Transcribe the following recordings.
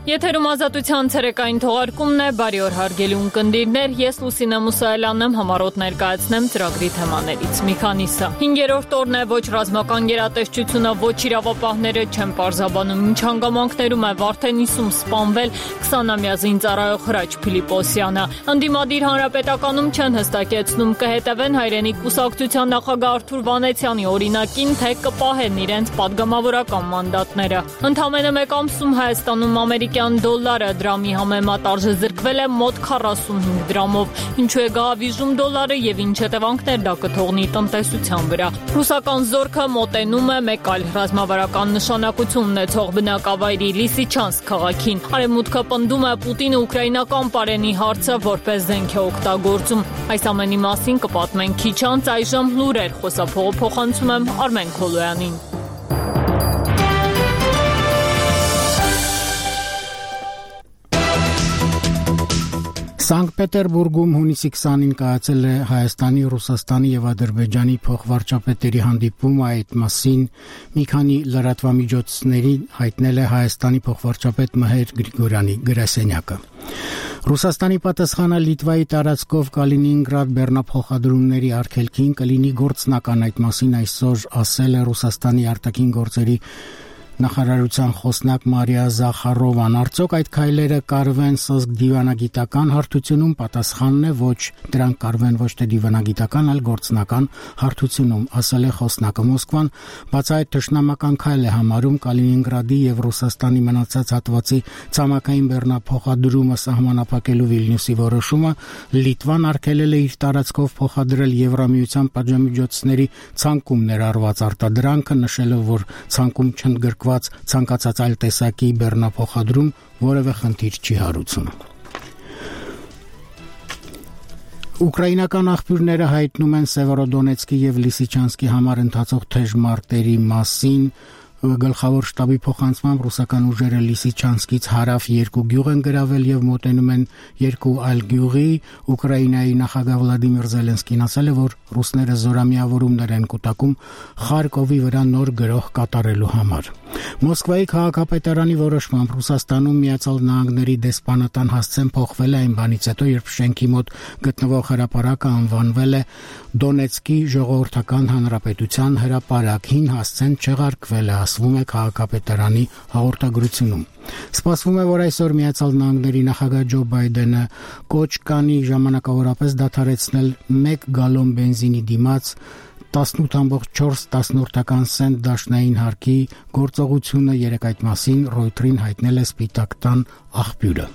Եթերում ազատության ցերեկային թողարկումն է, բարի օր հարգելի ունկնդիրներ, ես Լուսինե Մուսայելյանն եմ, համառոտ ներկայացնեմ ծրագրի թեմաներից մի քանիսը։ 5-րդ օրն է, ոչ ռազմական գերատեսչությունը, ոչ իրավապահները չեն պարզաբանում, ինչ հանգամանքներում է Վարդենիսում սպանվել 20-ամյա զինծառայող Հրաչ Փիլիպոսյանը։ Ընդդիմադիր հանրապետականում չեն հստակեցնում, կհետևեն հայրենիք կուսակցության նախագահ Արթուր Վանեցյանի օրինակին, թե կպահեն իրենց падգամավորական մանդատները։ Ընդամենը մեկ ամսում Հայաստանում ամերիկյան դոլարը դրամի համեմատ արժե զրկվել է մոտ 45 դրամով։ Ինչու է գահավիժում դոլարը եւ ինչ հետևանքներ դա կթողնի տնտեսության վրա։ Ռուսական զորքը մոտենում է մեկ այլ ռազմավարական նշանակություն ունեցող բնակավայրի Լիսիչանսկ քաղաքին։ Արևմուտքը պնդում է Պուտինը ուկրաինական պարենի հարցը որպես զենք է օգտագործում։ Այս ամենի մասին կպատմենք քիչ անց, այժմ լուրեր, խոսափողը փոխանցում եմ Արմեն Քոլոյանին։ Սանկտ Պետերբուրգում հունիսի 20-ին կայացել է Հայաստանի, Ռուսաստանի եւ Ադրբեջանի փոխվարչապետերի հանդիպում, այդ մասին մի քանի լրատվամիջոցների հայտնել է Հայաստանի փոխվարչապետ Մհեր Գրիգորյանի գրասենյակը։ Ռուսաստանի պատասխանը Լիտվայի տարածքով Կալինինգրադ բեռնափոխադրումների արգելքին կլինի գործնական, այդ մասին այսօր ասել է Ռուսաստանի արտաքին գործերի նախարարության խոսնակ Մարիա Զախարովան։ Արդյոք այդ քայլերը կարվեն սոսկ դիվանագիտական հարթությունում, պատասխանն է ոչ, դրանք կարվեն ոչ թե դիվանագիտական, այլ գործնական հարթությունում, ասել է խոսնակը։ Մոսկվան բացահայտ թշնամական քայլ է համարում Կալինինգրադի եւ Ռուսաստանի մնացած հատվածի ցամաքային բեռնափոխադրումը սահմանափակելու Վիլնյուսի որոշումը, Լիտվան արգելել է իր տարածքով փոխադրել Եվրամիության պատժամիջոցների ցանկում ներառված արտադրանքը, նշելով, որ ցանկում չընդգրկված ցանկացած այլ տեսակի բեռնափոխադրում որևէ խնդիր չի հարուցում։ Ուկրաինական աղբյուրները հայտնում են Սևերոդոնեցկի եւ Լիսիչանսկի համար ընթացող թեժ մարտերի մասին։ Գլխավոր շտաբի փոխանցմամբ ռուսական ուժերը Լիսիչանսկից հարավ 2 գյուղ են գրավել եւ մոտենում են 2 այլ գյուղի։ Ուկրաինայի նախագահ Վլադիմիր Զելենսկին ասել է, որ ռուսները զորամիավորումներ են կուտակում Խարկովի վրա նոր գրոհ կատարելու համար։ Մոսկվայի քաղաքապետարանի որոշմամբ Ռուսաստանում Միացյալ Նահանգների դեսպանատան հասցեն փոխվել է այն բանից հետո, երբ շենքի մոտ գտնվող հրապարակը անվանվել է Դոնեցկի ժողովրդական հանրապետության հրապարակ։ Հին հասցեն չեղարկվել է, ասվում է քաղաքապետարանի հաղորդագրությունում։ Սպասվում է, որ այսօր Միացյալ Նահանգների նախագահ Ջո Բայդենը կոչ կանի ժամանակավորապես դադարեցնել 1 գալոն բենզինի դիմաց 18.4 սենտ դաշնային հարկի գործողությունը, երեկ այդ մասին Ռոյթերին հայտնել է Սպիտակ տան աղբյուրը։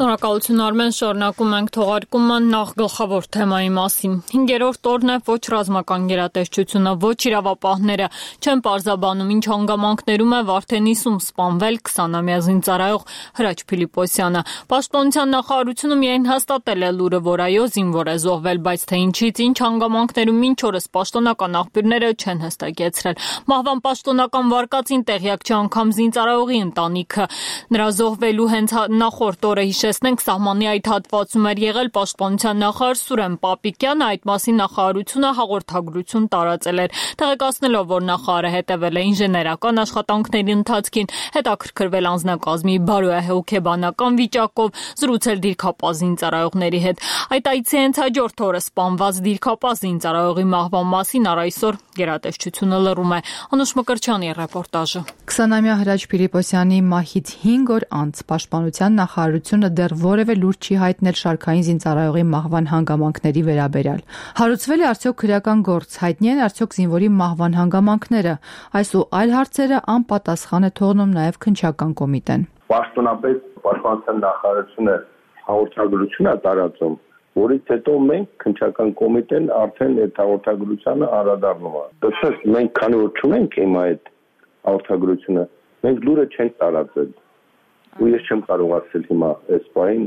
Շնորհակալություն Արմեն, շարունակում ենք թողարկումը նախ գլխավոր թեմայի մասին։ 5-րդ օրն է, ոչ ռազմական գերատեսչությունը, ոչ իրավապահները չեն պարզաբանում, ինչ հանգամանքներում է Վարդենիսում սպանվել 20-ամյա զինծառայող Հրաչ Փիլիպոսյանը։ Պաշտպանության նախարարությունը միայն հաստատել է լուրը, որ այո, զինվոր է զոհվել, բայց թե ինչից, ինչ հանգամանքներում մինչ օրս պաշտոնական աղբյուրները չեն հստակեցրել։ Մահվան պաշտոնական վարկածին տեղյակ չի անգամ զինծառայողի ընտանիքը։ Նրա զոհվելու հենց նախորդ օրը Տեսնենք սահմանի այդ հատվածում էր եղել պաշտպանության նախարար Սուրեն Պապիկյանը, այդ մասին նախարարությունը հաղորդագրություն տարածել էր, տեղեկացնելով, որ նախարարը հետևել է ինժեներական աշխատանքների ընթացքին, հետաքրքրվել անձնակազմի բարոյահոգեբանական վիճակով, զրուցել դիրքապահ զինծառայողների հետ։ Այդ այցի հենց հաջորդ օրը սպանված դիրքապահ զինծառայողի մահվան մասին այսօր գերատեսչությունը լռում է։ Անուշ Մկրտչյանի ռեպորտաժը։ 20-ամյա Հրաչ Փիլիպոսյանի մահից 5 օր անց պաշտպանության նախարարությունը դեռ որևէ լուր չի հայտնել շարքային զինծառայողի մահվան հանգամանքների վերաբերյալ։ Հարուցվել է արդյոք քրեական գործ, հայտնի են արդյոք զինվորի մահվան հանգամանքները։ Այս ու այլ հարցերը անպատասխան է թողնում նաև քննչական կոմիտեն։ Պաշտոնապես պաշտպանության նախարարությունը հաղորդագրություն է տարածում, որից հետո մենք քննչական կոմիտեն արդեն այդ հաղորդագրությանը անդրադառնում է։ Դասես մենք քանի որ չունենք հիմա այդ հաղորդագրությունը, մենք լուրը չենք տարածել։ ու ես չեմ կարող ասել հիմա այս բանին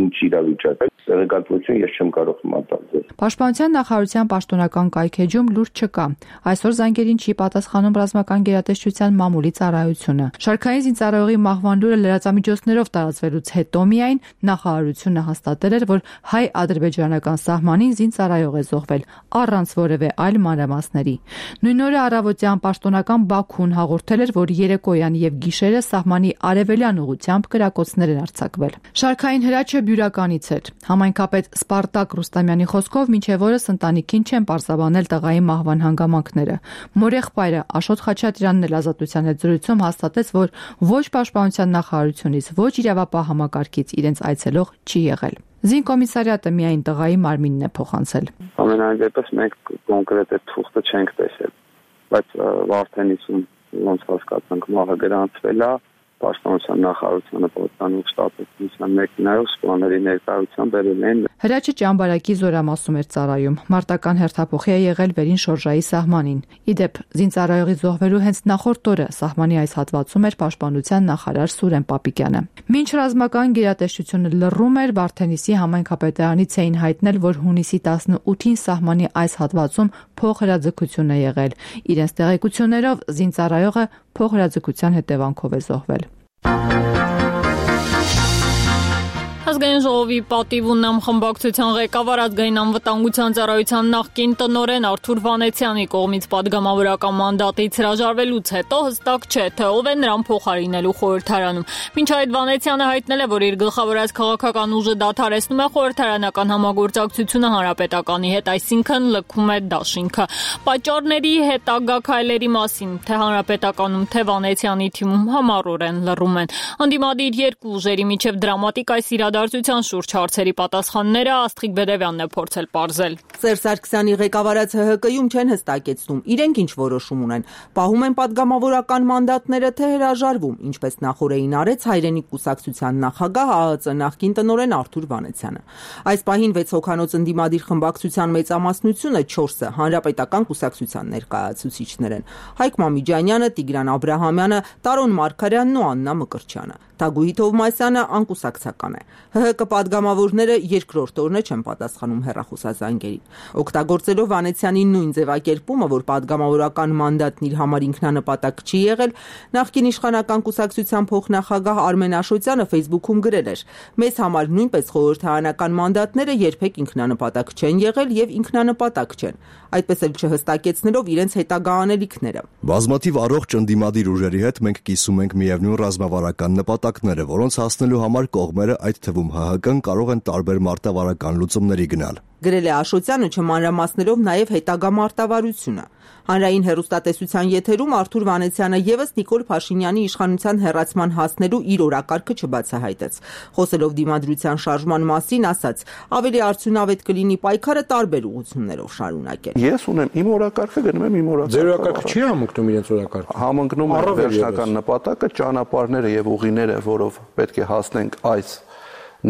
ինչ իրավիճակ է, տեղեկատվություն ես չեմ կարող մտածել։ Պաշտպանության նախարարության պաշտոնական կայքեջում լուրջ չկա։ Այսօր զանգերին չի պատասխանում ռազմական գերատեսչության մամուլի ծառայությունը։ Շարքային զինծառայողի մահվան լուրը լրատվամիջոցներով տարածվելուց հետո միայն նախարարությունը հաստատել էր, որ հայ-ադրբեջանական սահմանին զինծառայող է զոհվել, առանց որևէ այլ մանրամասների։ Նույն օրը առավոտյան պաշտոնական Բաքուն հաղորդել էր, որ երեկոյան եւ գիշերը սահմանի արևելյան ուղությամբ կրակոցներ են արձակվել։ Շարքային հրաչը բյուրականից էր։ Համայնքապետ Սպարտակ Ռուստամյանի խոսքով մինչև օրս ընտանիքին չեն պարզաբանել տղայի մահվան հանգամանքները։ Մորեղբայրը Աշոտ Խաչատրյանն էլ Ազատության հետ զրույցում հաստատեց, որ ոչ պաշտպանության նախարարությունից, ոչ իրավապահ համակարգից իրենց այցելող չի եղել։ Զինկոմիսարիատը միայն տղայի մարմինն է փոխանցել։ Ամենայն դեպս մենք կոնկրետ այդ թուղթը չենք տեսել, բայց Վարդենիսում ոնց հասկացանք մահը գրանցվել է, պաշտպանության նախարարությունը պատկանող շտաբի մեքենայով սպաների ներկայությամբ բերել են։ Հրաչը ճամբարակի զորամասում էր ծառայում։ Մարտական հերթափոխի է եղել Վերին Շորժայի սահմանին։ Իդեպ զինծառայողի զոհվելու հենց նախորդ օրը սահմանի այս հատվածում էր պաշտպանության նախարար Սուրեն Պապիկյանը։ Մինչ ռազմական գերատեսչությունը լռում էր, Վարդենիսի համայնքապետարանից էին հայտնել, որ հունիսի 18-ին սահմանի այս հատվածում փոխհրաձգություն է եղել։ Իրենց տեղեկություններով զինծառայողը փոխհրաձգության հետևանքով է զոհվել։ Ազգային ժողովի պատիվ ու նամխմբակցության ղեկավար ազգային անվտանգության ծառայության նախկին տնօրեն Արթուր Վանեցյանի կողմից պատգամավորական մանդատից հրաժարվելուց հետո հստակ չէ, թե ով է նրան փոխարինելու խորհրդարանում։ Մինչ այդ Վանեցյանը հայտնել է, որ իր գլխավորած քաղաքական ուժը դադարեցնում է խորհրդարանական համագործակցությունը հանրապետականի հետ, այսինքն լքում է դաշինքը։ Պատճառների հետագա քայլերի մասին թե հանրապետականում, թե Վանեցյանի թիմում համառորեն լռում են։ Անդիմադիր երկու ուժերի միջև դրամատիկ այս իրադարձության շուրջ հարցերի պատասխանները Աստղիկ Բեդևյանն է փորձել պարզել։ Սերժ Սարգսյանի ղեկավարած ՀՀԿ-ում չեն հստակեցնում, իրենք ինչ որոշում ունեն։ Պահում են պատգամավորական մանդատները, թե հրաժարվում, ինչպես նախորդին արեց Հայրենիք կուսակցության նախագահ ԱԱԾ նախկին տնօրեն Արթուր Վանեցյանը։ Այս պահին 6 հոգանոց ընդդիմադիր խմբակցության մեծամասնությունը 4-ը հանրապետական կուսակցության ներկայացուցիչներ են։ Հայկ Մամիջանյանը, Տիգրան Աբրահամյանը, Տարոն Մարգարյանն ու Աննա Մկրտչյանը։ Թագուհի Թովմասյանը անկուսակցական է։ ՀՀԿ պատգամավորները երկրորդ օրն չեն պատասխանում հեռախոսազանգերին։ Օգտագործելով Վանեցյանի նույն ձևակերպումը, որ պատգամավորական մանդատն իր համար ինքնանպատակ չի եղել, նախկին իշխանական կուսակցության փոխնախագահ Արմեն Աշոտյանը Facebook-ում գրել էր. «Մեզ համար նույնպես խորհրդարանական մանդատները երբեք ինքնանպատակ չեն եղել եւ ինքնանպատակ չեն»։ Այդպես էլ չհստակեցնելով իրենց հետագա անելիքները։ Բազմաթիվ առողջ ընդդիմադիր ուժերի հետ մենք կիսում ենք միևնույն ռազմավարական նպատակները, որոնց հասնելու համար կողմերը, այդ թվում ՀՀԿ-ն, կարող են տարբեր մարտավարական լուծումների գնալ։ Գրել է Աշոտյանը, չմանրամասնելով նաև հետագա մարտավարությունը։ Հանրային հեռուստատեսության եթերում Արթուր Վանեցյանը եւս Նիկոլ Փաշինյանի իշխանության հեռացման հասնելու իր օրակարգը չբացահայտեց։ Խոսելով դիմադրության շարժման մասին, ասաց. ավելի արդյունավետ կլինի պայքարը տարբեր ուղղություններով շարունակել։ Ես ունեմ իմ օրակարգը, գնում եմ իմ օրակարգը։ Ձեր օրակարգը չի համընկնում իրենց օրակարգը։ Համընկնում է վերջնական նպատակը, ճանապարհները եւ ուղիները, որով պետք է հասնենք այս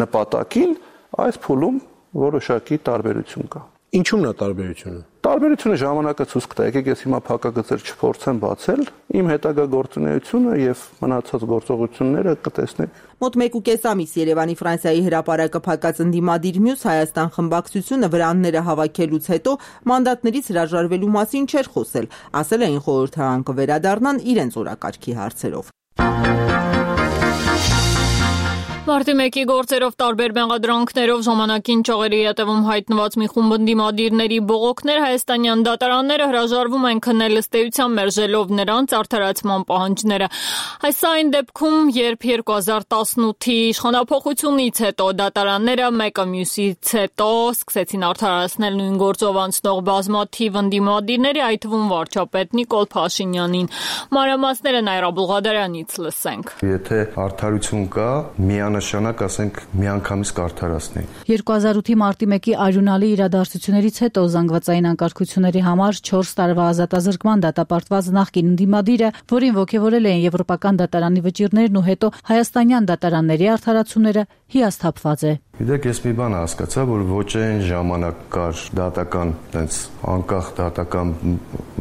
նպատակին, այս փուլում որոշակի տարբերություն կա։ Ինչու՞մն է տարբերությունը։ Տարբերությունը ժամանակը ցույց կտա, եկեք ես հիմա փակագծեր չփորձեմ բացել, իմ հետագա գործունեությունը եւ մնացած գործողությունները կտեսնեք։ Մոտ 1.5 ամիս Երևանի Ֆրանսիայի հրապարակը փակած ընդդիմադիր մյուս Հայաստան խմբակցությունը վրանները հավաքելուց հետո մանդատներից հրաժարվելու մասին չէր խոսել, ասել էին խորհրդարան կվերադառնան իրենց օրակարգի հարցերով։ Մարտի 1-ի գործերով տարբեր մեղադրանքներով ժամանակին ճաղերի հետևում հայտնված մի խումբ ընդդիմադիրների բողոքներ հայաստանյան դատարանները հրաժարվում են քննել ըստ էության մերժելով նրանց արդարացման պահանջները։ Այս այն դեպքում, երբ 2018-ի իշխանափոխությունից հետո դատարանները մեկը մյուսից հետո սկսեցին արդարացնել նույն գործով անցնող բազմաթիվ ընդդիմադիրների, այդ թվում վարչապետ Նիկոլ Փաշինյանին։ Մանրամասները Նայրա Բուլղադարյանից լսենք։ Եթե արդարություն կա, նշանակ ասենք միանգամից կարդարացնի։ 2008-ի մարտի 1-ի արյունալի իրադարձություններից հետո զանգվածային անկարգությունների համար 4 տարվա ազատազրկման դատապարտված նախկին ընդդիմադիրը, որին ոգևորել էին եվրոպական դատարանի վճիռներն ու հետո հայաստանյան դատարանների արդարացումները, հիասթափված է։ Գիտեք, ես մի բան հասկացա, որ ոչ այն ժամանակ կար դատական, տենց անկախ դատական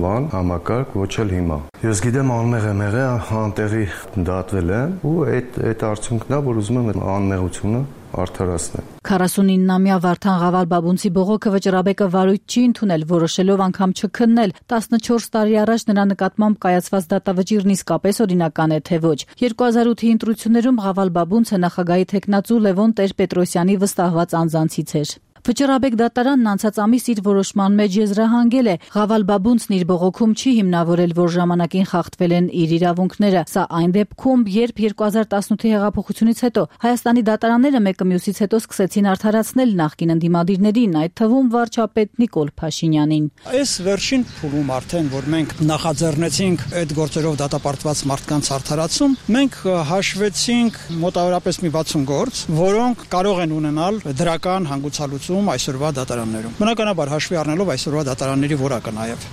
բան, համակարգ, ոչ էլ հիմա։ Ես գիտեմ անմեղ եմ եղել, անտեղի դատվել եմ, ու այդ արդյունքն է, որ ուզում եմ անմեղությունը արդարացնել։ 49-ամյա Վարդան Ղավալ-Բաբունցի բողոքը Վճռաբեկը վարույթ չի ընդունել, որոշելով անգամ չքննել։ 14 տարի առաջ նրա նկատմամբ կայացված դատավճիռն իսկապես օրինական է, թե ոչ։ 2008-ի ընտրություններում Ղավալ-Բաբունցը նախագահի թեկնածու Լևոն Տեր-Պետրոսյանի վստահված անձանցից էր։ Վճռաբեկ դատարանն անցած ամիս իր որոշման մեջ եզրահանգել է. Ղավալ-Բաբունցն իր բողոքում չի հիմնավորել, որ ժամանակին խախտվել են իր իրավունքները։ Սա այն դեպքում, երբ 2018-ի հեղափոխությունից հետո Հայաստանի դատարանները մեկը մյուսից հետո սկսեցին արդարացնել նախկին ընդդիմադիրներին, այդ թվում վարչապետ Նիկոլ Փաշինյանին։ Այս վերջին փուլում արդեն, որ մենք նախաձեռնեցինք այդ գործերով դատապարտված մարդկանց արդարացում, մենք հաշվեցինք մոտավորապես մի 60 գործ, որոնք կարող են ունենալ դրական հանգուցալուծում այսօրվա դատարաններում։ Բնականաբար հաշվի առնելով այսօրվա դատարանների որակը նաև։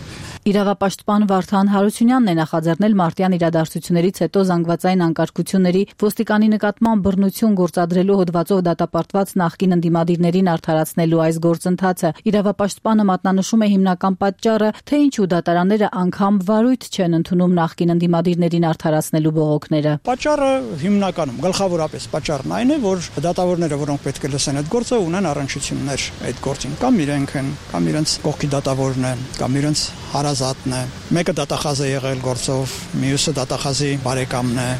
Իրավապաշտպան Վարդան Հարությունյանն է նախաձեռնել մարտյան իրադարձություններից հետո զանգվածային անկարգությունների ոստիկանի նկատմամբ բռնություն գործադրելու հոդվածով դատապարտված նախկին ընդդիմադիրներին արդարացնելու այս գործընթացը։ Իրավապաշտպանը մատնանշում է հիմնական պատճառը, թե ինչու դատարանները անգամ վարույթ չեն ընդունում նախկին ընդդիմադիրներին արդարացնելու բողոքները։ Պատճառը հիմնականում, գլխավորապես պատճառն այն է, որ դատավորները, որոնք պետք է լսեն այդ գործը, ունեն առնչություններ այդ գործին, կամ իրենք են, կամ իրենց կողքի դատավորն է, կամ իրենց հարազատն է։ Մեկը դատախազ է եղել գործով, մյուսը դատախազի բարեկամն է։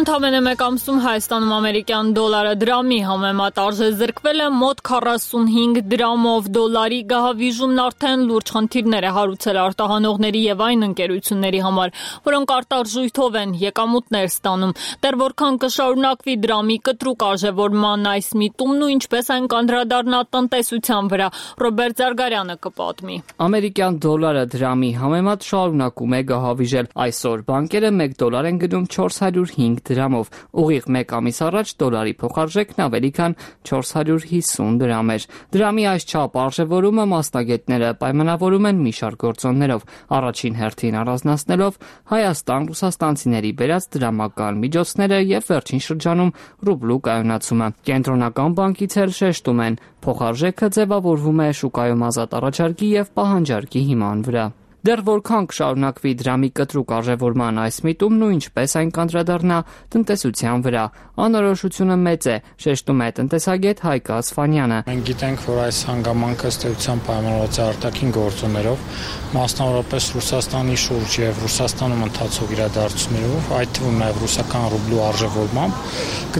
Ընդամենը մեկ ամսում Հայաստանում ամերիկյան դոլարը դրամի համեմատ արժե զրկվել է մոտ 45 դրամով։ Դոլարի գահավիժումն արդեն լուրջ խնդիրներ է հարուցել արտահանողների եւ այն ընկերությունների համար, որոնք արտարժույթով են եկամուտներ ստանում։ Դեռ որքան կշարունակվի դրամի կտրուկ արժևորման այս միտումն ու ինչպես այն կանդրադառնա տնտեսության վրա, Ռոբերտ Զարգարյանը կպատմի։ Ամերիկյան դոլարը դրամի համեմատ շարունակում է գահավիժել։ Այսօր բանկերը 1 դոլար են գնում 405 դրամով։ Ուղիղ մեկ ամիս առաջ դոլարի փոխարժեքն ավելի քան 450 դրամ էր։ Դրամի այս չափ արժևորումը մասնագետները պայմանավորում են մի շարք գործոններով, առաջին հերթին առանձնացնելով Հայաստան ռուսաստանցիների բերած դրամական միջոցները եւ վերջին շրջանում ռուբլու կայունացումը։ Կենտրոնական բանկից էլ շեշտում են, փոխարժեքը ձևավորվում է շուկայում ազատ առաջարկի եւ պահանջարկի հիման վրա։ Դեռ որքան կշարունակվի դրամի կտրուկ արժևորման այս միտումն ու ինչպես այն կանդրադառնա տնտեսության վրա, անորոշությունը մեծ է, շեշտում է տնտեսագետ Հայկ Ասֆանյանը։ Մենք գիտենք, որ այս հանգամանքը ըստ էության պայմանավորված է արտաքին գործոններով, մասնավորապես Ռուսաստանի շուրջ եւ Ռուսաստանում ընթացող իրադարձություններով, այդ թվում նաեւ ռուսական ռուբլու արժևորմամբ,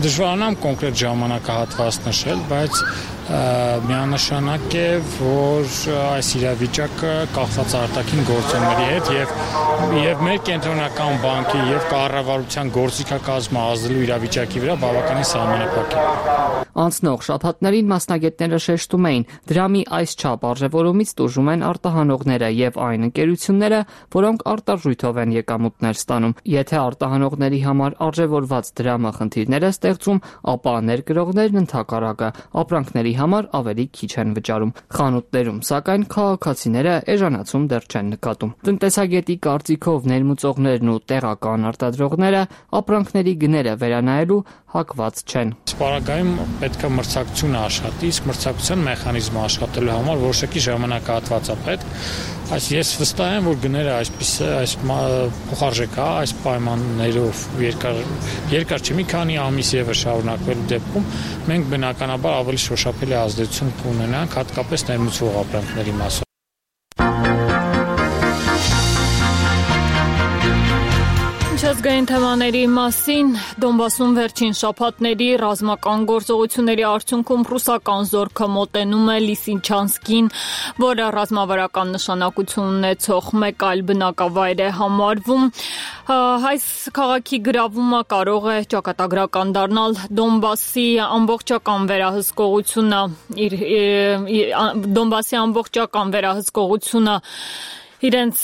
կդժվարանամ կոնկրետ ժամանակահատված նշել, բայց միանշանակ է, որ այս իրավիճակը կախված արտաքին գործոնների հետ եւ մեր կենտրոնական բանկի եւ կառավարության գործիքակազմը ազդելու իրավիճակի վրա բավականին սահմանափակ է։ Անցնող շաբաթներին մասնագետները շեշտում էին, դրամի այս չափ արժևորումից տուժում են արտահանողները եւ այն ընկերությունները, որոնք արտարժույթով են եկամուտներ ստանում։ Եթե արտահանողների համար արժևորված դրամը խնդիրներ է ստեղծում, ապա ներկրողներն ընդհակառակը ապրանքների համար ավելի քիչ են վճարում։ Խանութներում, սակայն քաղաքացիները էժանացում դեռ չեն նկատում։ Տնտեսագետի կարծիքով ներմուծողներն ու տեղական արտադրողները ապրանքների գները վերանայելու հակված չեն։ Սպառակայում պետք է մրցակցությունը աշխատի, իսկ մրցակցության մեխանիզմը աշխատելու համար որոշակի ժամանակահատված է պետք։ Ես վստահ եմ, որ գները այս փոխարժեքա, այս պայմաններով երկար չի, մի քանի ամիս եւս շարունակվելու դեպքում մենք բնականաբար ավելի շոշափելի ազդեցություն կունենանք, հատկապես ներմուծվող ապրանքների մասով։ Միջազգային թեմաների մասին Դոնբասում վերջին շաբաթների ռազմական գործողությունների արդյունքում ռուսական զորքը մոտենում է Լիսիչանսկին, որը ռազմավարական նշանակություն ունեցող մեկ այլ բնակավայր է համարվում։ Այս քաղաքի գրավումը կարող է ճակատագրական դառնալ Դոնբասի ամբողջական վերահսկողությունը իրենց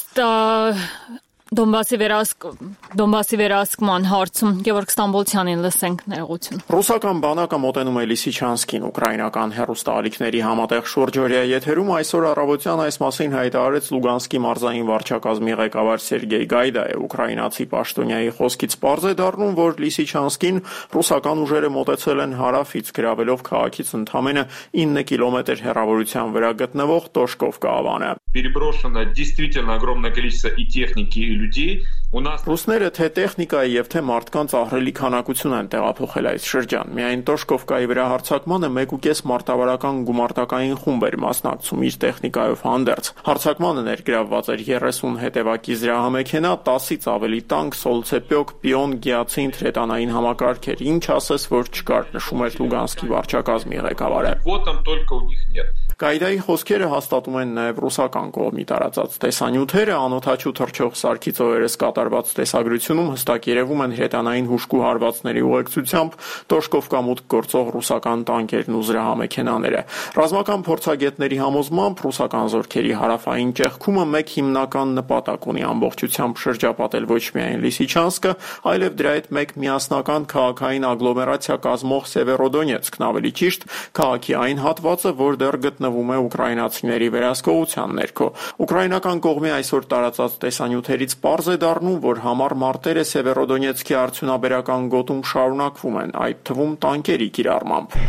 Դոնբասի վերահսկման հարցում Գևորգ Ստամբոլցյանին լսենք ներողություն։ Ռուսական բանակը մոտենում է Լիսիչանսկին, ուկրաինական հեռուստաալիքների համատեղ շուրջօրյա եթերում այսօր առավոտյան այս մասին հայտարարեց Լուգանսկի մարզային վարչակազմի ղեկավար Սերգեյ Գայդայը։ Ուկրաինացի պաշտոնյայի խոսքից պարզ է դառնում, որ Լիսիչանսկին ռուսական ուժերը մոտեցել են հարավից, գրավելով քաղաքից ընդամենը 9 կիլոմետր հեռավորության վրա գտնվող Տոշկովկա ավանը։ Переброшено действительно огромное количество и техники, и людей. Ռուսները թե տեխնիկայի եւ թե մարդկանց ահռելի քանակություն են տեղափոխել այս շրջան։ Միայն Տոշկովկայի վրա հարձակմանը 1.5 մարտավարական գումարտակային խումբ էր մասնակցում իր տեխնիկայով հանդերձ։ Հարձակմանը ներգրավված էր 30 հետևակի զրահամեքենա, 10-ից ավելի տանկ, սոլցեպյոկ, պիոն, գիացին, թրետանային համակարգեր, ինչ ասես, որ չկար, նշում էր Լուգանսկի վարչակազմի ղեկավարը։ Вот там только у них нет. Գայդայի խոսքերը հաստատում են նաև ռուսական կողմի տարածած տեսանյութերը, անօդաչու թռչող սարքից օրերս կատարված տեսագրությունում հստակ երևում են հրետանային հուժկու հարվածների ուղեկցությամբ Տոշկովկա մուտք գործող ռուսական տանկերն ու զրահամեքենաները։ Ռազմական փորձագետների համոզմամբ ռուսական զորքերի հարավային ճեղքումը մեկ հիմնական նպատակ ունի ամբողջությամբ շրջապատել ոչ միայն Լիսիչանսկը, այլև դրա հետ մեկ միասնական քաղաքային ագլոմերացիա կազմող Սևերոդոնեցկն, ավելի ճիշտ քաղաքի այն հատվածը, որ դեռ գտնվում է ուկրաինացիների վերահսկողության ներքո։ Ուկրաինական կողմի այսօր տարածած տեսանյութերից պարզ է դառնում, որ համառ մարտերը Սևերոդոնեցկի արդյունաբերական գոտում շարունակվում են, այդ թվում տանկերի կիրառմամբ։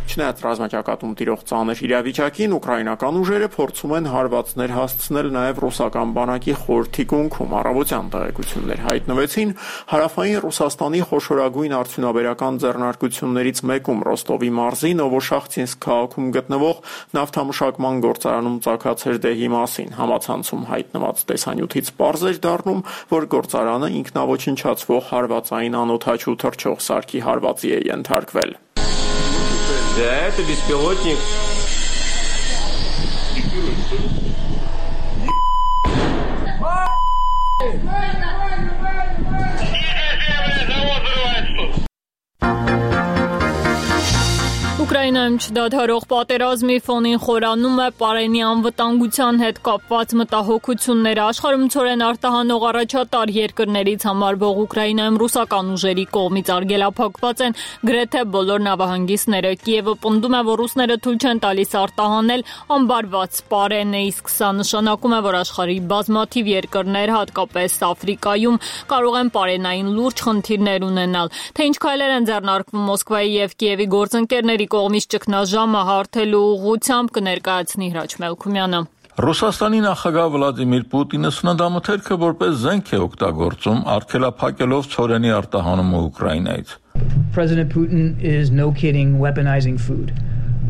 Չնայած ռազմաճակատում տիրող ծանր իրավիճակին, ուկրաինական ուժերը փորձում են հարվածներ հասցնել նաև ռուսական բանակի խորհրդի կողմում։ Առավոտյան տեղեկություններ հայտնվեցին հարավային Ռուսաստանի խոշորագույն արդյունաբերական ձեռնարկություններից մեկում Ռոստովի մարզի Նովոշախտինսկ քաղաքում գտնվող նավթամշակման գործարանում ծագած հրդեհի մասին։ Համացանցում հայտնված տեսանյութից պարզ էր դառնում, որ գործարանը ինքնաոչնչացվող հարվածային անօդաչու թռչող սարքի հարվածի է ենթարկվել։ Да, это беспилотник. Ուկրաինայում չդադարող պատերազմի ֆոնին խորանում է Պարենի անվտանգության հետ կապված մտահոգությունները։ Աշխարհում ցորեն արտահանող առաջատար երկրներից համարվող Ուկրաինայում ռուսական ուժերի կողմից արգելափակված են գրեթե բոլոր նավահանգիստները։ Կիևը պնդում է, որ ռուսները թույլ չեն տալիս արտահանել ամբարված Պարենը, իսկ սա նշանակում է, որ աշխարհի բազմաթիվ երկրներ, հատկապես Աֆրիկայում, կարող են Պարենային լուրջ խնդիրներ ունենալ։ Թե ինչ քայլեր են ձեռնարկվում Մոսկվայի եւ Կիևի գործընկերների կողմից ճգնաժամը հարթելու ուղղությամբ կներկայացնի Հրաչ Մելքումյանը։ Ռուսաստանի նախագահ Վլադիմիր Պուտինը սննդամթերքը որպես զենք է օգտագործում, արգելափակելով ցորենի արտահանումը Ուկրաինայից։ President Putin is no kidding weaponizing food.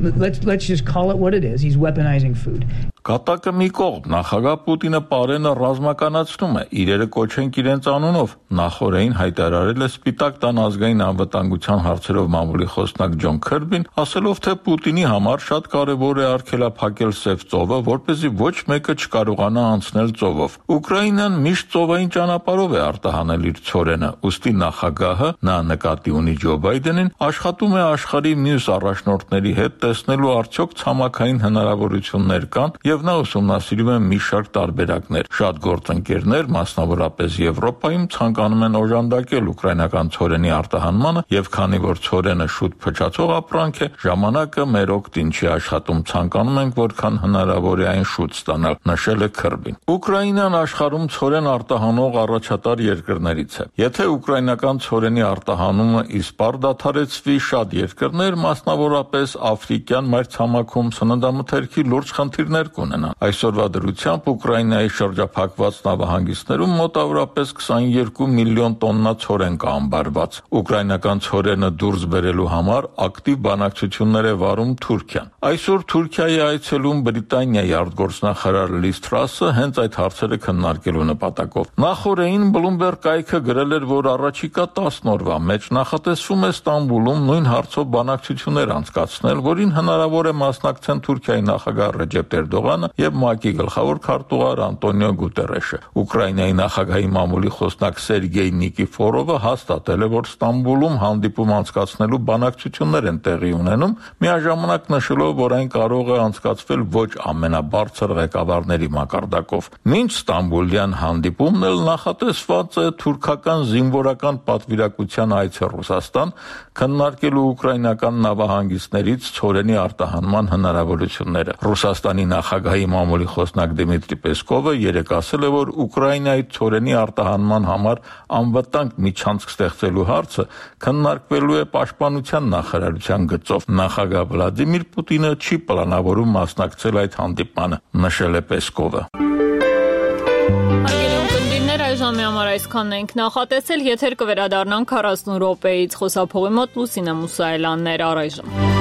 Let's just call it what it is. He's weaponizing food. Կատակը մի կողմ, նախագահ Պուտինը Պարենը ռազմականացնում է, իրերը կոչենք իրենց անունով, նախորդին հայտարարել է Սպիտակ տան ազգային անվտանգության հարցերով մամուլի խոսնակ Ջոն Քըրբին, ասելով, թե Պուտինի համար շատ կարևոր է արգելափակել Սև ծովը, որպեսզի ոչ մեկը չկարողանա անցնել ծովով։ Ուկրաինան միշտ ծովային ճանապարհով է արտահանել իր ցորենը, ուստի նախագահը, նա նկատի ունի Ջո Բայդենին, աշխատում է աշխարհի մյուս առաջնորդների հետ տեսնելու արդյոք ցամաքային հնարավորություններ կան եւ նա ուսումնասիրում է մի շարք տարբերակներ։ Շատ գործընկերներ, մասնավորապես Եվրոպայում, ցանկանում են օժանդակել ուկրաինական ցորենի արտահանմանը եւ քանի որ ցորենը շուտ փչացող ապրանք է, ժամանակը մեր օգտին չի աշխատում, ցանկանում ենք որքան հնարավոր է այն շուտ ստանալ, նշել է Քըրբին։ Ուկրաինան աշխարհում ցորեն արտահանող առաջատար երկրներից է։ Եթե ուկրաինական ցորենի արտահանումը իսպառ դադարեցվի, շատ երկրներ, մասնավորապես Աֆրիկյան մայրցամաքում սննդամթերքի լուրջ խնդիրներ կունենան։ Այսօրվա դրությամբ Ուկրաինայի շրջափակված նավահանգիստներում մոտավորապես 22 միլիոն տոննա ցորեն կա ամբարված։ Ուկրաինական ցորենը դուրս բերելու համար ակտիվ բանակցություններ է վարում Թուրքիան։ Այսօր Թուրքիայի այցելում Բրիտանիայի արտգործնախարար Լիզ Թրասը հենց այդ հարցերը քննարկելու նպատակով։ Նախորդին Bloomberg կայքը գրել էր, որ առաջիկա 10 օրվա մեջ նախատեսվում է Ստամբուլում նույն հարցով բանակցություններ անցկացնել, որին հնարավոր է մասնակցեն Թուրքիայի նախագահ Ռեջեփ Էրդողանը Երևանը եւ ՄԱԿ-ի գլխավոր քարտուղար Անտոնիո Գուտերեշը։ Ուկրաինայի նախագահի մամուլի խոսնակ Սերգեյ Նիկիֆորովը հաստատել է, որ Ստամբուլում հանդիպում անցկացնելու բանակցություններ են տեղի ունենում, միաժամանակ նշելով, որ այն կարող է անցկացվել ոչ ամենաբարձր ղեկավարների մակարդակով։ Մինչ Ստամբուլյան հանդիպումն էլ նախատեսված է թուրքական զինվորական պատվիրակության այցը Ռուսաստան, քննարկելու ուկրաինական նավահանգիստներից ցորենի արտահանման հնարավորությունները։ Ռուսաստանի նախագահի մամուլի խոսնակ Դմիտրի Պեսկովը երեկ ասել է, որ Ուկրաինայի ցորենի արտահանման համար անվտանգ միջանցք ստեղծելու հարցը քննարկվելու է Պաշտպանության նախարարության գծով։ Նախագահ Վլադիմիր Պուտինը չի պլանավորում մասնակցել այդ հանդիպմանը, նշել է Պեսկովը։ Ժամի համար այսքանն ենք նախատեսել, եթեր կվերադառնանք 40 րոպեից, խոսափողի մոտ Լուսինե Մուսայելյանն էր, առայժմ։